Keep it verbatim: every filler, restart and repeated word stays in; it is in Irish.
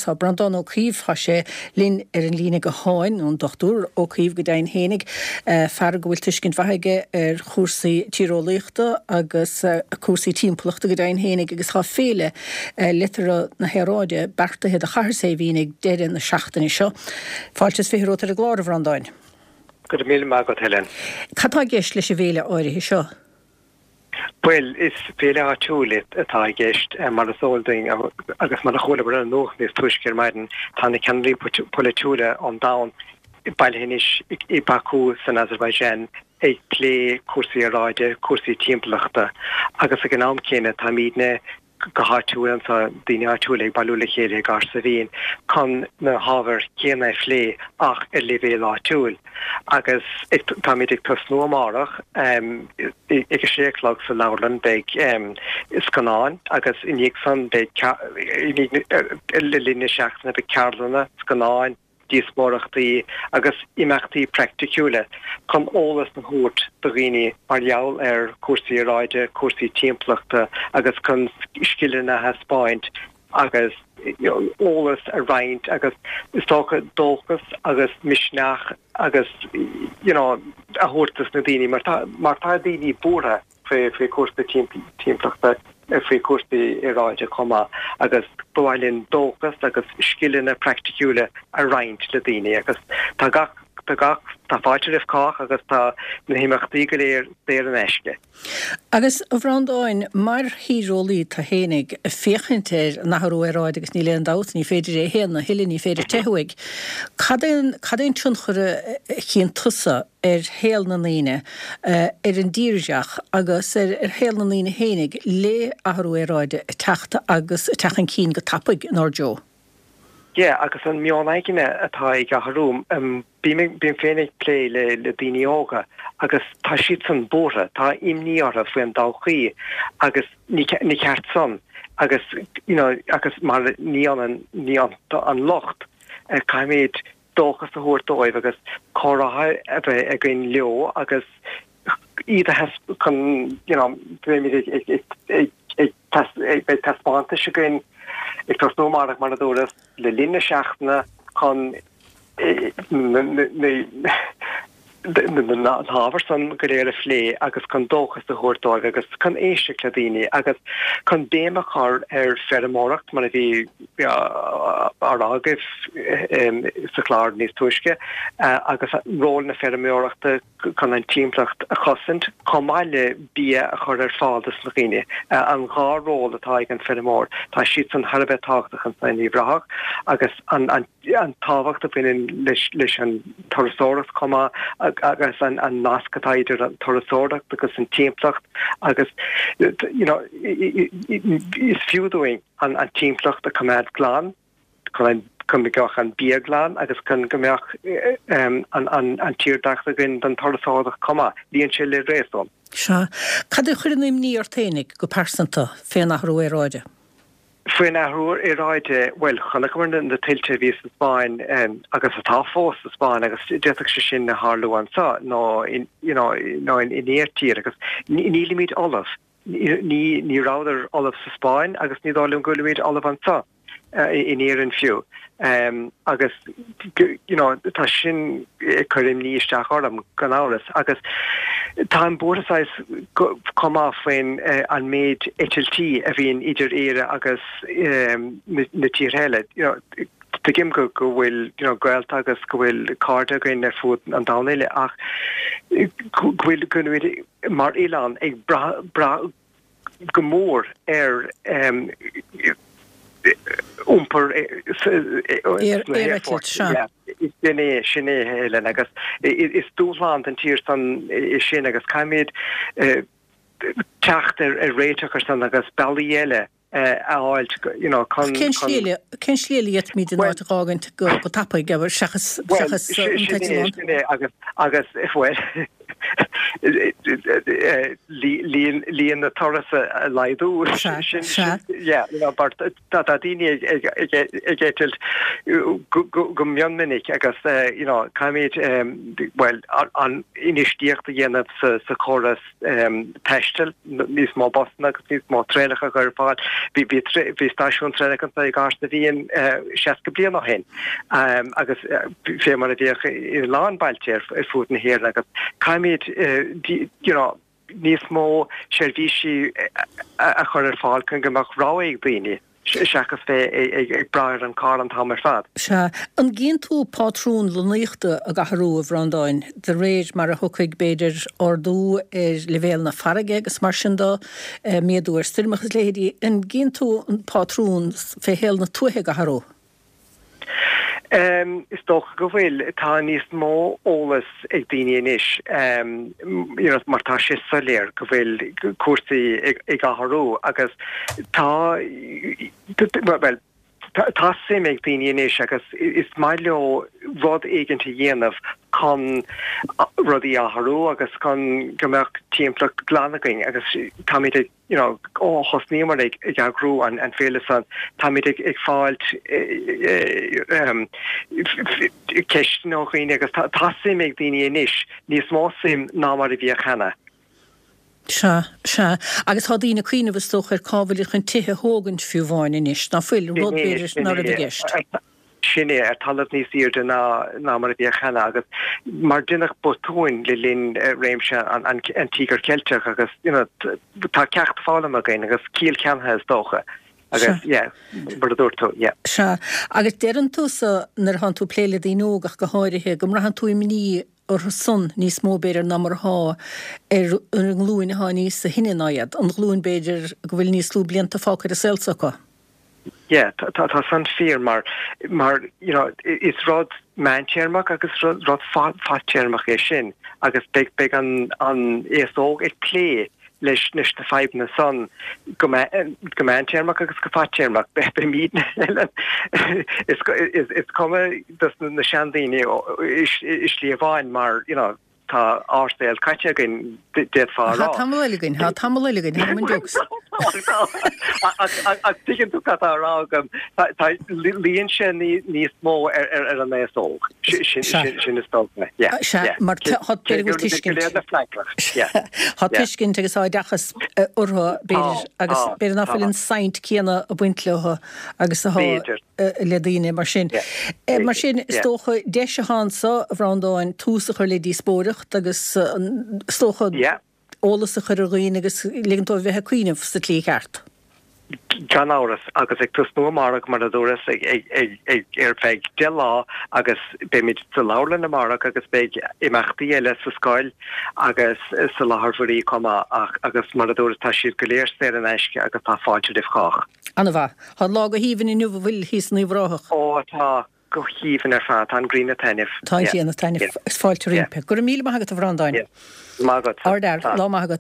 Tá Breandán Ó Caoimh, tá sé linn ar an líne gutháin, an Dochtúir Ó Caoimh go deimhin fhéinig, fear go bhfuil tuiscint mhaith aige ar chúrsaí tíreolaíochta agus cúrsaí timpeallachta go deimhin fhéinig, agus tá féile liteartha na haeráide beartaithe do Chathair Saidhbhín ag deireadh na seachtaine seo. Fáilte is fiche romhat ar an gclár, a Bhreandáin. Go raibh míle maith agat, Helen. Cad tá i gceist leis an bhféile áirithe seo? Bhuel, is féile áitiúil atá i gceist, mar is eol dúinn, agus mar a chualamar ar an nuacht níos túisce ar maidin, tá na ceannairí polaitiúla ón domhan bailithe anois i Baku san Azerbaijan ag plé cúrsaí aeráide, cúrsaí timpeallachta, agus ag an am céanna táimidne go háitiúil anseo, daoine áitiúla ag bailiú le chéile i gCathair Saidhbhín chun na hábhair chéanna a phlé ach ar leibhéal áitiúil. Agus táimid ag tosnú amárach ag a sé a chlog sa leabharlann, beidh scannáin agus i ndiaidh san beidh, le linn na seachtaine beidh ceardlanna, scannáin, díospóireachtaí agus imeachtaí praiticiúla chun eolas a thabhairt do dhaoine mar gheall ar chúrsaí aeráide, cúrsaí timpeallachta agus chun scileanna a thaispeáint agus eolas a roinnt agus is dócha dóchas agus misneach agus you know a thabhairt dos na daoine mar tá mar tá daoine buartha faoi faoi chúrsaí timpeallachta, faoi chúrsaí aeráide chomh maith agus ba mhaith linn dóchas agus scileanna praiticiúla a roinnt le daoine agus tá gach tá gach tá fáilte roimh chách agus tá na himeachtaí go léir saor in aisce. Agus, a Bhreandáin, mar thíreolaí tú fhéinig, ag féachaint ar an athrú aeráide agus níl aon dabht, ní féidir é a shéanadh a thuilleadh, ní féidir teitheadh uaidh, cad é an cad é an tionchar a chíonn tusa ar shaol na ndaoine, ar an dtírdhreach agus ar shaol na ndaoine fhéinig le athrú aeráide ag teacht agus ag teacht chun cinn go tapaidh inár dtreo. Yeah, agus an meon aigne atá ag athrú, bím bím féin ag plé le le daoine óga agus tá siadsan buartha, tá imní orthu faoin todhchaí agus ní ní ceart san agus you know agus mar ní ionann ní an locht, caithfimid dóchas a thabhairt dóibh agus comhrá a bheith againn leo agus iad a chun you know beimid ag ag ag ag ag beidh taispeántais againn ag tosnú amárach mar a dúras le linn na seachtaine chun na na hábhair san go léir a phlé agus chun dóchas a thabhairt dóibh agus chun éisteacht le daoine agus chun béim a chur ar feirmeoireacht mar a bhí á rá agaibh sa chlár níos túisce agus ról na feirmeoireachta chun an timpeallacht a chosaint chomh maith le bia a chur ar fáil dos na daoine. An dhá ról atá ag an feirmeoir, tá siad san thar a bheith tábhachtach anso in Uíbh Ráthach agus an an an tábhacht a bhaineann leis leis an turasóireacht chomh maith agus an an nasc atá idir an turasóireacht agus an timpeallacht agus you know is fiú dúinn an an timpeallacht a choimeád glan chun chun go mbeadh an bia glan agus chun go mbeadh an an an tírdhreach againn don turasóireacht chomh maith. Luíonn sé le réasún. Sea. Cad a chuireann imní ort fhéinig go pearsanta fén athrú aeráide? Faoin athrú aeráide, bhuel, chonaiceamar na tuilte a bhí sa Spáinn agus atá fós sa Spáinn agus d'fhéadfadh sé sin a tharlú anseo nó in you know nó in iarthír agus nílimid ullamh. Ní ní rabhadar ullamh sa Spáinn agus ní dóigh liom go bhfuilimid ullamh anseo. in Éirinn fiú. Agus you know tá sin ag cur imní isteach orm gan amhras agus táim buartha saghas chomh maith faoin an méid eitiltí a bhíonn idir Éire agus na tíortha eile. You know tuigim go go bhfuil you know gaolta agus go bhfuil cairde againn ar fud an domhain uile ach go bhfuil go bhfuil mar oileán ag brath brath go mór ar iompar Aereitilt, sea. Sin é, sin é, Helen, agus is dúshlán don tír san é sin agus caithfimid teacht ar réiteach ar san agus bealaí eile a fháilt, you know, chun. Cén slí eile, cén slí eile a d'fhéadfaimid an áit a dh'fhágaint go tapaidh, seachas, seachas an t-eitleán? Sin é, sin é, agus, agus, bhuel, líon na turas a laghdú sin yeah you know but tá tá daoine ag ag ag ag eitilt go go go mion minic agus eh, you know caithfimid um, well an infheistíocht a dhéanamh sa sa chóras um, taistil níos mó busanna agus níos mó traenacha a chur ar fáil. Bhí bhí bhí stáisiún traenach anseo i gCathair na bhFiann eh, seasca bliain ó shin um, agus eh, fé mar a bhíodh i lán bailte ar ar fud na hÉireann agus caithfimid eh, you know, níos mó seirbhísí a chur ar fáil chun go mbeadh rogha ag daoine seachas bheith ag brath ar an carr an t-am ar fad. Sea, an gcíonn tú pátrún lonnaíochta ag athrú a Bhreandáin, de réir mar a thiocfaidh b'fhéidir ardú ar leibhéal na farraige agus mar sin de, méadú ar stoirmeacha is leithéidí, an gcíonn tú an pátrún fé shaol na tuaithe ag athrú? Is dócha go bhfuil. Tá níos mó eolas ag daoine anois you know mar tá sé soiléir go bhfuil cúrsaí ag athrú agus tá bhuel tá suim ag daoine anois agus is maith leo rud éigin a dhéanamh chun rudaí a athrú agus chun go mbeadh timpeallacht glan againn agus táimid ag you know ó thosnaíomar ag ag eagrú an an féile san táimid ag ag fáilt um, ceisteanna ó dhaoine agus tá tá suim ag daoine anois níos mó suim ná mar a bhíodh cheana. Sea, sea. Agus tá daoine ag cuimhneamh is dócha ar cá bhfuil chun tithe a thógaint fiú amháin anois, ná fuil, rud b'fhéidir ná raibh i gceist. Sin é, ar talamh níos airde ná ná mar a bhíodh cheana agus mar deineadh botúin le linn réimse an an an Tíogar Ceilteach agus you know tá ceacht foghlamtha againn agus ciall ceannaithe is dócha agus yeah mar a dúirt tú yeah. Sea, agus deireann tusa nuair atánn tú ag plé le daoine óga ach go háirithe go mbraitheann tú imní orthu san níos mó b'fhéidir ná mar atá ar an nglúin atá níos sine ná iad, an ghlúin b'fhéidir go bhfuil níos lú blianta fágtha ar an saol s'acu. Yeah, tá tá san fíor mar mar you know is rud meántéarmach agus rud rud fadtéarmach é sin agus beidh beidh an an aos óg ag plé leis leis na fadhbanna san go go meántéarmach agus go fadtéarmach. Beimid is is is cuma dos na seandaoine i slí amháin mar you know tá ár saol caite againn d'fhéadfá a rá. Tá tamall eile againn, tá tamall eile againn, tá muid jokes. Ach tuigeann tú cad tá á rá agam, tá luíonn sé níos mó ar an aos óg. Sin is dócha. Sea, mar tá tuiscint. Tá tuiscint agus oideachas orthu b'fhéidir agus b'fhéidir nach bhfuil an saint céanna ag baint leo agus atá le daoine mar sin. Mar sin, is dócha deis atá anseo, a Bhreandáin, tús a chur le díospóireacht agus is dócha eolas a chur ar dhaoine agus ligean dóibh bheith ag cuimhneamh sa tslí cheart. Gan amhras, agus ag tosnú amárach, mar a dúras, ar feadh deich lá agus beimid sa leabharlann amárach agus beidh imeachtaí eile sa scoil agus sa láthair mhuirí chomh maith ach agus mar a dúras tá siad go léir saor in aisce agus tá fáilte roimh chách. Ana-mhaith. Tá an lá go haoibhinn inniu an bhfuil thíos in Uíbh Ráthach? Ó tá, go haoibhinn ar fad. Tá an ghrian ag taitneamh. Tá an ghrian ag taitneamh. Is fáilte roimpi. Go raibh míle maith agat a Bhreandáin. Maith agat. Ardfhear. Lá maith agat.